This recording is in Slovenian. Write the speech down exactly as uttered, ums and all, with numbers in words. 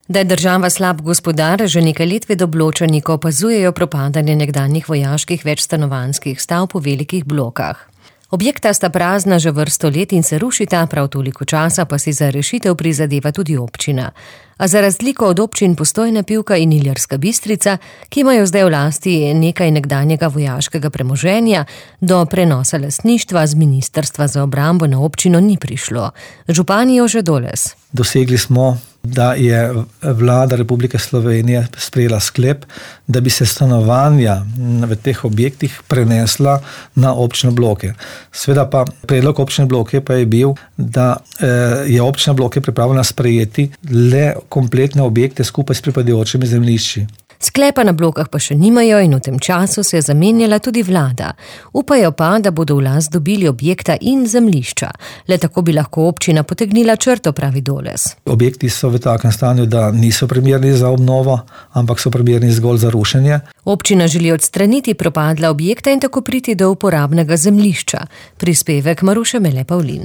Da je država slab gospodar, že nekaj let Vedobločani, ko opazujejo propadanje nekdanjih vojaških večstanovanjskih stavb v velikih blokah. Objekta sta prazna že vrsto let in se rušita, prav toliko časa pa si za rešitev prizadeva tudi občina. A za razliko od občin Postojna, Pivka in Ilirska Bistrica, ki imajo zdaj v lasti nekaj nekdanjega vojaškega premoženja, do prenosa lastništva z Ministrstva za obrambo na občino ni prišlo. Župan Jože Doles. Dosegli smo, da je vlada Republike Slovenije sprejela sklep, da bi se stanovanja v teh objektih prenesla na občine Bloke. Sveda pa predlog občine Bloke pa je bil, da je občina Bloke pripravljena sprejeti le kompletne objekte skupaj s pripadajočimi zemljišči. Sklepa na Blokah pa še nimajo in v tem času se je zamenjala tudi vlada. Upajo pa, da bodo v last dobili objekta in zemljišča. Le tako bi lahko občina potegnila črto, pravi Doles. Objekti so v takem stanju, da niso primerni za obnovo, ampak so primerni zgolj za rušenje. Občina želi odstraniti propadla objekta in tako priti do uporabnega zemljišča. Prispevek Maruše Mele Pavlin.